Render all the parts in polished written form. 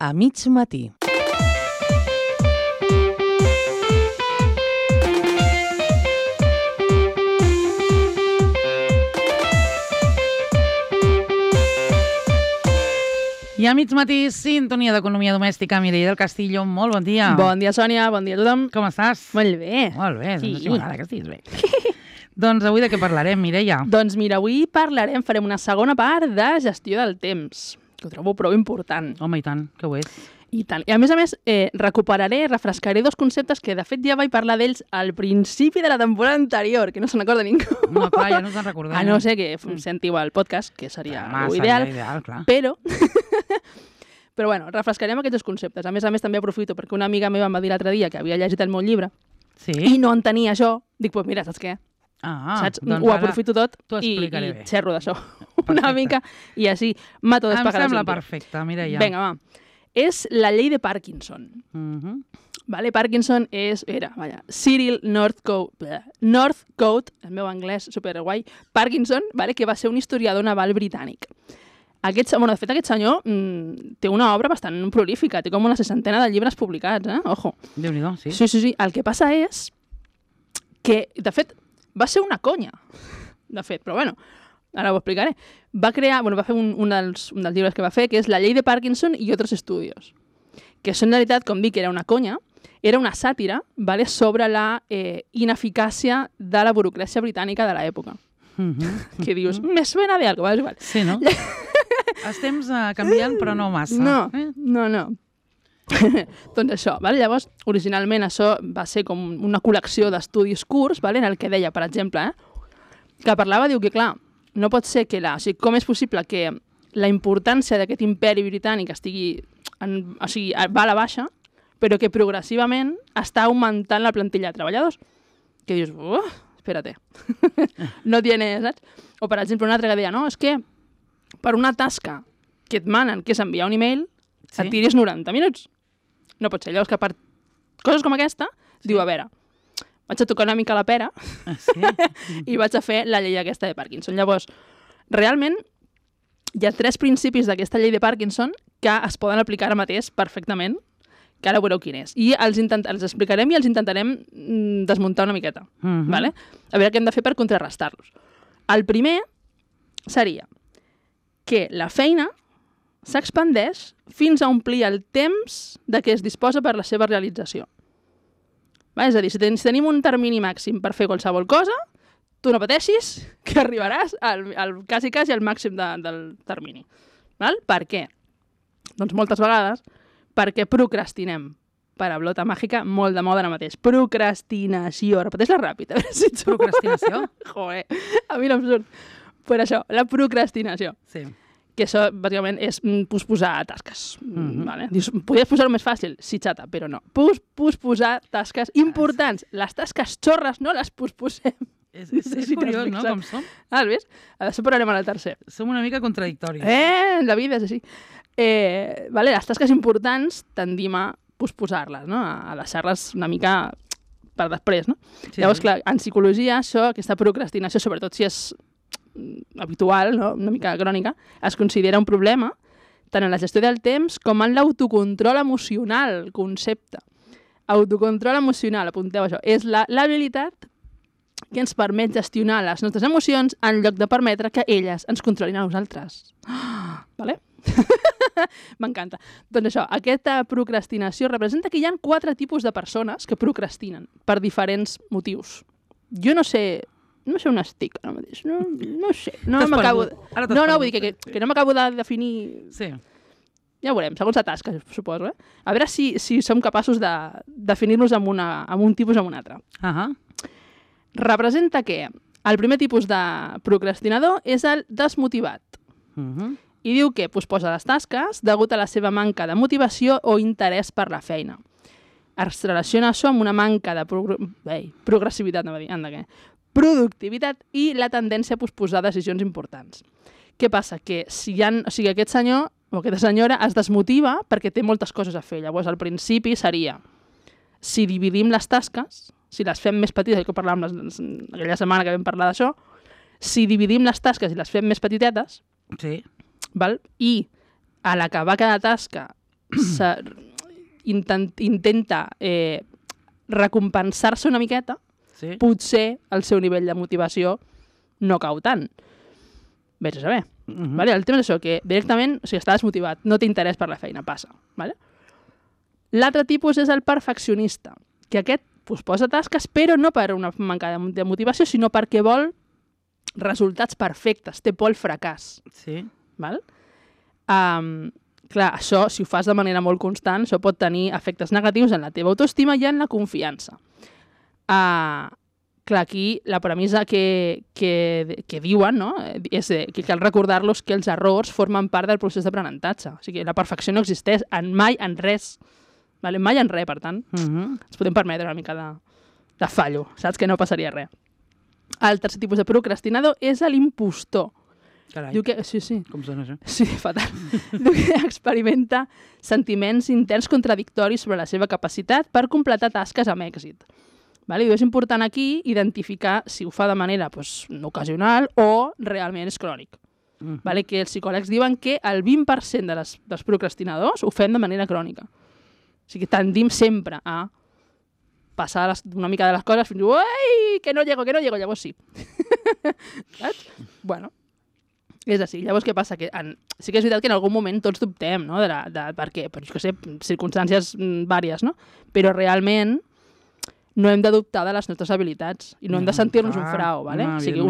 A mig matí. I a mig matí, sintonia d'economia domèstica. Mireia del Castillo, molt bon dia. Bon dia, Sònia, bon dia a tothom. Com estàs? Molt bé. Molt bé, Sí. doncs m'agrada que estiguis bé. Doncs avui de què parlarem, Mireia? Doncs mira, avui farem una segona part de gestió del temps, que ho trobo prou important. Home, i tant, que ho és. I tant. I a més, refrescaré dos conceptes que de fet ja vaig parlar d'ells al principi de la temporada anterior, que no se n'acorda ningú. No, clar, ja no te'n recordem. A no ser que sentiu el podcast, que seria Seria ideal, clar. però bueno, refrescarem aquests dos conceptes. A més, també aprofito perquè una amiga meva em va dir l'altre dia que havia llegit el meu llibre Sí? i no entenia això. Dic, doncs mira, saps què? Saps? Doncs Ho ara aprofito tot t'ho i explicaré bé. xerro d'això una mica i així mato dos Em pájaros sembla de un tiro. perfecte, Mireia. Vinga, va. És la llei de Parkinson. Vale? Parkinson era Cyril Northcote, el meu anglès superguai, Parkinson, vale? Que va ser un historiador naval britànic. De fet, aquest senyor té una obra bastant prolífica, té com una 60ena de llibres publicats, Ojo. Déu-n'hi-do, sí. Sí. El que passa és que, de fet, va ser una conya, de fet, però bueno, ara ho explicaré. Va fer un dels llibres que va fer, que és La llei de Parkinson i altres estudios, que en realitat, com dic, era una conya, era una sàtira, vale, sobre la ineficàcia de la burocràcia britànica de l'època. Que dius, me suena de algo, és igual. Sí, no? Els temps canviant, però no massa. No. Doncs això, vale? Llavors, originalment això va ser com una col·lecció d'estudis curts, vale? En el que deia, per exemple, que parlava, diu que clar, no pot ser que com és possible que la importància d'aquest imperi britànic va a la baixa, però que progressivament està augmentant la plantilla de treballadors. Que dius, espérate, no tienes, saps? O, per exemple, un altre que deia, no, és que per una tasca que et manen, que és enviar un email, et tiris 90 minuts. No pot ser. Llavors que per coses com aquesta, diu, a veure, vaig a tocar una mica la pera i vaig a fer la llei aquesta de Parkinson. Llavors, realment, hi ha 3 principis d'aquesta llei de Parkinson que es poden aplicar ara mateix perfectament, que ara veureu quin és. I els explicarem i els intentarem desmuntar una miqueta. Vale? A veure què hem de fer per contrarrestar-los. El primer seria que la feina s'expandeix fins a omplir el temps de què es disposa per la seva realització. És a dir, si tenim un termini màxim per fer qualsevol cosa, tu no pateixis que arribaràs quasi al màxim del termini. Per què? Doncs moltes vegades perquè procrastinem. Paraulota màgica, molt de moda ara mateix. Procrastinació. Repeteix-la ràpid. Procrastinació? Joder, a mi no em surt. Per això, la procrastinació. Sí. Que això, bàsicament, és posposar tasques. Vale? Dius, podries posar-ho més fàcil? Sí, xata, però no. Posposar tasques importants. Les tasques xorres no les posposem. És curiós, no?, com som. Has vist? Això parlarem al tercer. Som una mica contradictoris. La vida és així. Les tasques importants tendim a posposar-les, no? A deixar-les una mica per després, no? Sí. Llavors, clar, en psicologia, aquesta procrastinació, sobretot si és habitual, no? Una mica crònica, es considera un problema tant en la gestió del temps com en l'autocontrol emocional, concepte. Autocontrol emocional, apunteu això, és l'habilitat que ens permet gestionar les nostres emocions en lloc de permetre que elles ens controlin a nosaltres. Vale? M'encanta. Doncs això, aquesta procrastinació representa que hi ha 4 tipus de persones que procrastinen per diferents motius. Jo no sé on estic ara mateix. No sé. No m'acabo vull dir que no m'acabo de definir. Sí. Ja ho veurem, segons la tasca, suposo. A veure si som capaços de definir-nos amb un tipus o amb un altre. Representa que el primer tipus de procrastinador és el desmotivat. I diu que posposa les tasques degut a la seva manca de motivació o interès per la feina. Es relaciona això amb una manca de progressivitat, productivitat i la tendència a posposar decisions importants. Què passa? Que aquest senyor o aquesta senyora es desmotiva perquè té moltes coses a fer. Llavors, al principi seria, si dividim les tasques, si les fem més petites, que parlàvem aquella setmana que vam parlar d'això, si dividim les tasques i les fem més petitetes, sí. I a l'acabar cada tasca intenta recompensar-se una miqueta, Sí. potser el seu nivell de motivació no cau tant. Vés a saber. Vale? El tema és això, que directament, o sigui, estàs motivat, no té interès per la feina, passa. Vale? L'altre tipus és el perfeccionista, que aquest posa tasques, però no per una manca de motivació, sinó perquè vol resultats perfectes, té por al fracàs. Sí. Val? Clar, això, si ho fas de manera molt constant, això pot tenir efectes negatius en la teva autoestima i en la confiança. Clar, aquí la premissa que diuen, no? És que cal recordar-los que els errors formen part del procés d'aprenentatge. O sigui, la perfecció no existeix mai en res. Vale? Mai en res, per tant. Ens podem permetre una mica de fallo. Saps que no passaria res. El tercer tipus de procrastinador és l'impostor. Carai, Diu que, sí. com sona això? Sí, fatal. Diu que experimenta sentiments interns contradictoris sobre la seva capacitat per completar tasques amb èxit. Vale? Diu, és important aquí identificar si ho fa de manera ocasional o realment és crònic. Vale? Que els psicòlegs diuen que el 20% dels procrastinadors ho fem de manera crònica. O sigui, tendim sempre a passar una mica de les coses fins i que no llego, llavors sí. Saps? Bueno, és així. Llavors, què passa? Que sí que és veritat que en algun moment tots dubtem, no? Per què? Per, jo què sé, circumstàncies vàries, no? Però realment no hem de dubtar de les nostres habilitats i no hem de sentir-nos un frau, ¿vale? O sigui,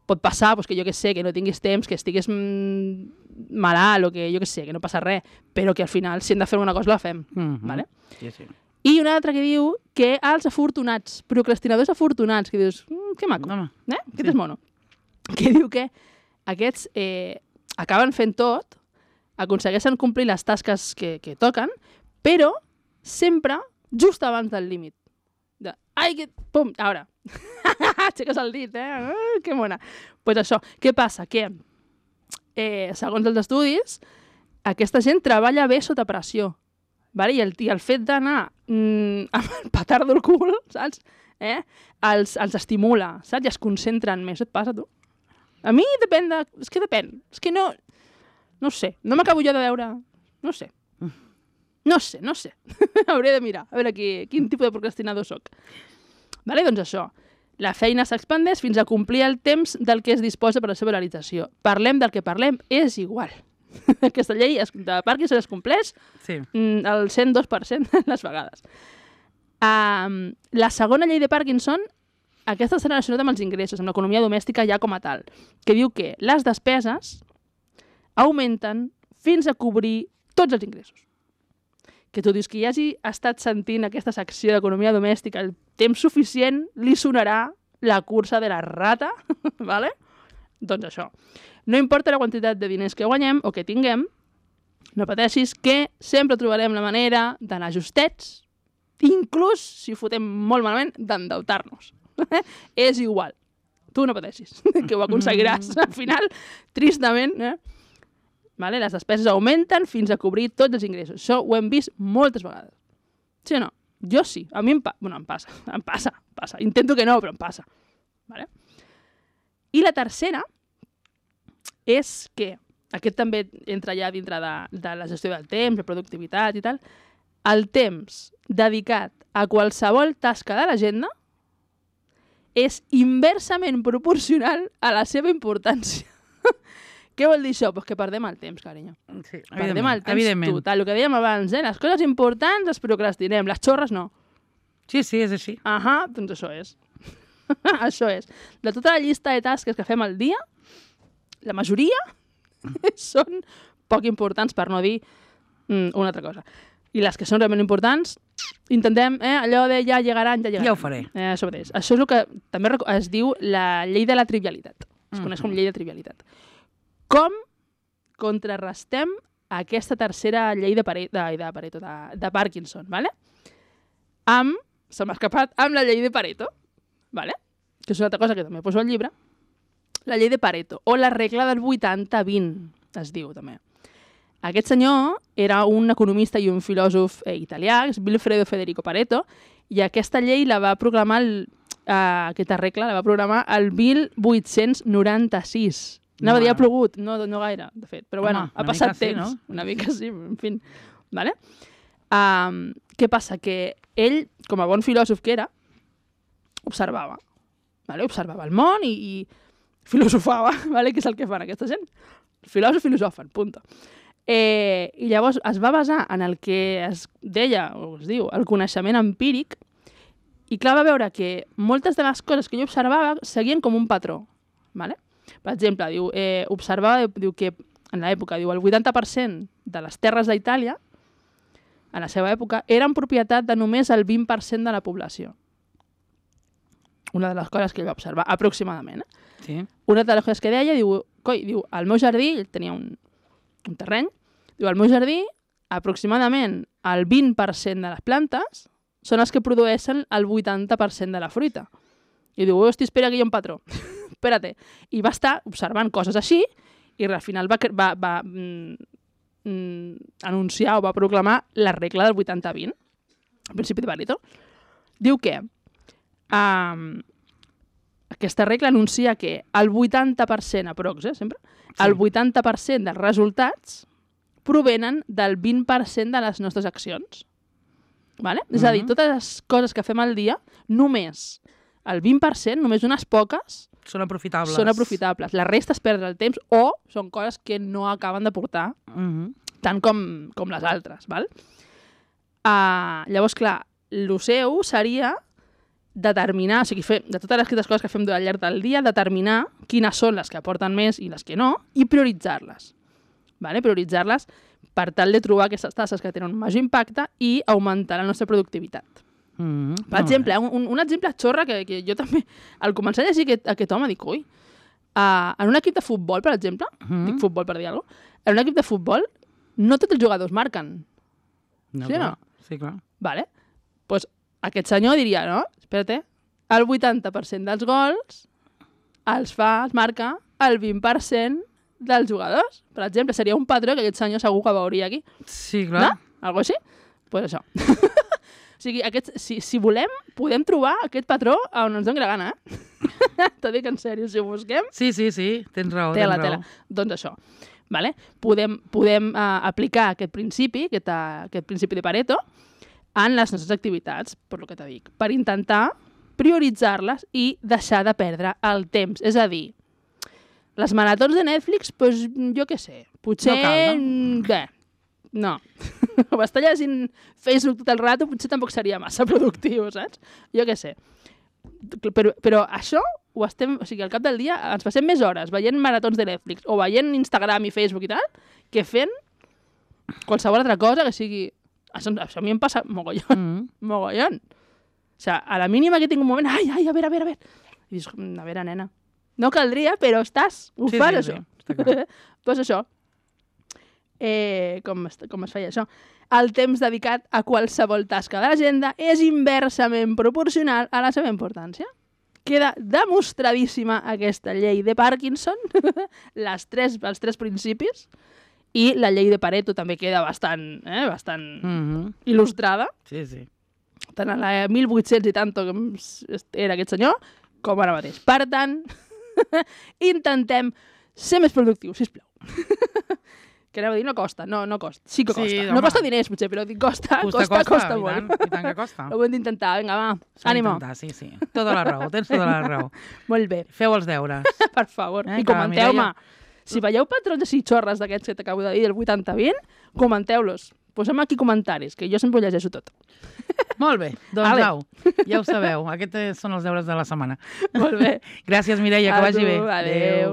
pot passar que jo què sé, que no tinguis temps, que estiguis malalt o que jo què sé, que no passa res, però que al final si hem de fer alguna cosa la fem, ¿vale? Sí. I una altra que diu que els afortunats, procrastinadors afortunats, que dius, que maco, aquest és mono, que diu que aquests acaben fent tot, aconsegueixen complir les tasques que toquen, però sempre just abans del límit. Pum, ara. Aixeques el dit, que mona. Pues això, què passa? Que, segons els estudis, aquesta gent treballa bé sota pressió. Vale? I el fet d'anar amb el petard del cul, saps? Els estimula, saps? I es concentren més. Et passa, tu? A mi depèn de... És que depèn. És que no... No sé. No m'acabo jo de veure... No sé. Hauré de mirar. A veure quin tipus de procrastinador soc. Vale? Doncs això. La feina s'expandeix fins a complir el temps del que es disposa per a la seva realització. Parlem del que parlem, és igual. Aquesta llei de Parkinson es compleix el 102% les vegades. La segona llei de Parkinson, aquesta està relacionada amb els ingressos, amb l'economia domèstica ja com a tal, que diu que les despeses augmenten fins a cobrir tots els ingressos. Que tu dius que hi hagi estat sentint aquesta secció d'economia domèstica el temps suficient, li sonarà la cursa de la rata, ¿vale? Doncs això. No importa la quantitat de diners que guanyem o que tinguem, no pateixis que sempre trobarem la manera d'anar justets, inclús, si ho fotem molt malament, d'endeutar-nos. És igual. Tu no pateixis, que ho aconseguiràs. Al final, tristament, Vale? Les despeses augmenten fins a cobrir tots els ingressos. Això ho hem vist moltes vegades. Sí o no? Jo sí. A mi em passa. Em passa. Intento que no, però em passa. Vale? I la tercera és que, aquest també entra ja dintre de la gestió del temps, la productivitat i tal, el temps dedicat a qualsevol tasca de l'agenda és inversament proporcional a la seva importància. Què vol dir això? Pues que perdem el temps, carinyo. Sí, perdem el temps total. El que dèiem abans, les coses importants les procrastinem, les xorres no. Sí, és així. Doncs això és. Això és. De tota la llista de tasques que fem al dia, la majoria són poc importants, per no dir una altra cosa. I les que són realment importants, intentem, allò de ja llegaran. Ja ho faré. Això mateix. Això és el que també es diu la llei de la trivialitat. Es coneix com llei de trivialitat. Com contrarrestem aquesta tercera llei de Parkinson, ¿vale? Se m'ha escapat, amb la llei de Pareto, ¿vale? Que és una altra cosa que també poso al llibre, la llei de Pareto, o la regla del 80-20, es diu també. Aquest senyor era un economista i un filòsof italià, és Vilfredo Federico Pareto, i aquesta llei la va proclamar, aquesta regla la va programar el 1896. Anava a dir ha plogut, no gaire, de fet, però bueno, ha passat temps. No? Una mica sí, en fi. Vale? Què passa? Que ell, com a bon filòsof que era, observava. Vale? Observava el món i filosofava, vale? Que és el que fan aquesta gent. Filòsof filosofen, punto. I llavors es va basar en el que es deia, o es diu, el coneixement empíric, i clar, va veure que moltes de les coses que ell observava seguien com un patró. Vale? Per exemple, observava que en l'època el 80% de les terres d'Itàlia, en la seva època, eren propietat de només el 20% de la població. Una de les coses que ell va observar, aproximadament. Sí. Una de les coses que deia, diu, al meu jardí, ell tenia un terreny, diu, al meu jardí, aproximadament el 20% de les plantes són els que produeixen el 80% de la fruita. I diu, hosti, espera que hi ha un patró. Espera't. I va estar observant coses així i al final va anunciar o va proclamar la regla del 80-20, el principi de Pareto. Diu que aquesta regla anuncia que el 80%, aprox, sempre, el 80% dels resultats provenen del 20% de les nostres accions. Vale? És a dir, totes les coses que fem al dia, només el 20%, només unes poques, són aprofitables. Són aprofitables. La resta es perd el temps o són coses que no acaben de portar tant com les altres. Val? Llavors, clar, el seu seria determinar, o sigui, de totes aquestes coses que fem al llarg del dia, determinar quines són les que aporten més i les que no, i prioritzar-les. Vale? Prioritzar-les per tal de trobar aquestes tasques que tenen un major impacte i augmentar la nostra productivitat. Per exemple, un exemple xorra que jo també, al començar a llegir aquest home, dic, ui, en un equip de futbol, per exemple, dic futbol per dir alguna cosa, en un equip de futbol no tots els jugadors marquen. No, sí o no? Sí, clar. Vale. Pues aquest senyor diria, no? Espera't, el 80% dels gols els marca el 20% dels jugadors. Per exemple, seria un patró que aquest senyor segur que veuria aquí. Sí, clar. No? Algo així? Pues això. O sigui, si volem, podem trobar aquest patró on ens doni la gana, T'ho dic en sèrio, si ho busquem. Sí, tens raó. Tela. Doncs això. Vale? Podem aplicar aquest principi de Pareto en les nostres activitats, per lo que te dic, per intentar prioritzar-les i deixar de perdre el temps. És a dir, les maratons de Netflix, doncs jo què sé, potser... No cal, no? Bé, no. O estar llegint Facebook tot el rato potser tampoc seria massa productiu, saps? Jo què sé. Però això ho estem... O sigui, al cap del dia ens passem més hores veient maratons de Netflix o veient Instagram i Facebook i tal, que fent qualsevol altra cosa que sigui... Això a mi em passa mogollon. Mogollon. O sigui, a la mínima que tinc un moment... Ai, a veure. I dius, a veure, nena, no caldria, però estàs... Ho fas, això. Doncs això. Com es feia això? El temps dedicat a qualsevol tasca de l'agenda és inversament proporcional a la seva importància. Queda demostradíssima aquesta llei de Parkinson, els tres principis, i la llei de Pareto també queda bastant il·lustrada. Sí. Tant a la 1800 i tant que era aquest senyor, com ara mateix. Per tant, intentem ser més productius, sisplau. Que anava a dir, no costa. No costa. Sí que costa. Sí, no costa diners, potser, però dic costa molt. I tant que costa. Ho hem d'intentar. Vinga, va, ànimo. Sí. Tota la raó, tens tota la raó. Molt bé. Feu els deures. Per favor. I comenteu-me. Si veieu patrons així xorres d'aquests que t'acabo de dir, el 80-20, comenteu-los. Posem aquí comentaris, que jo sempre ho llegeixo tot. Molt bé, doncs au, ja ho sabeu. Aquests són els deures de la setmana. Molt bé. Gràcies, Mireia, que vagi bé. Adéu.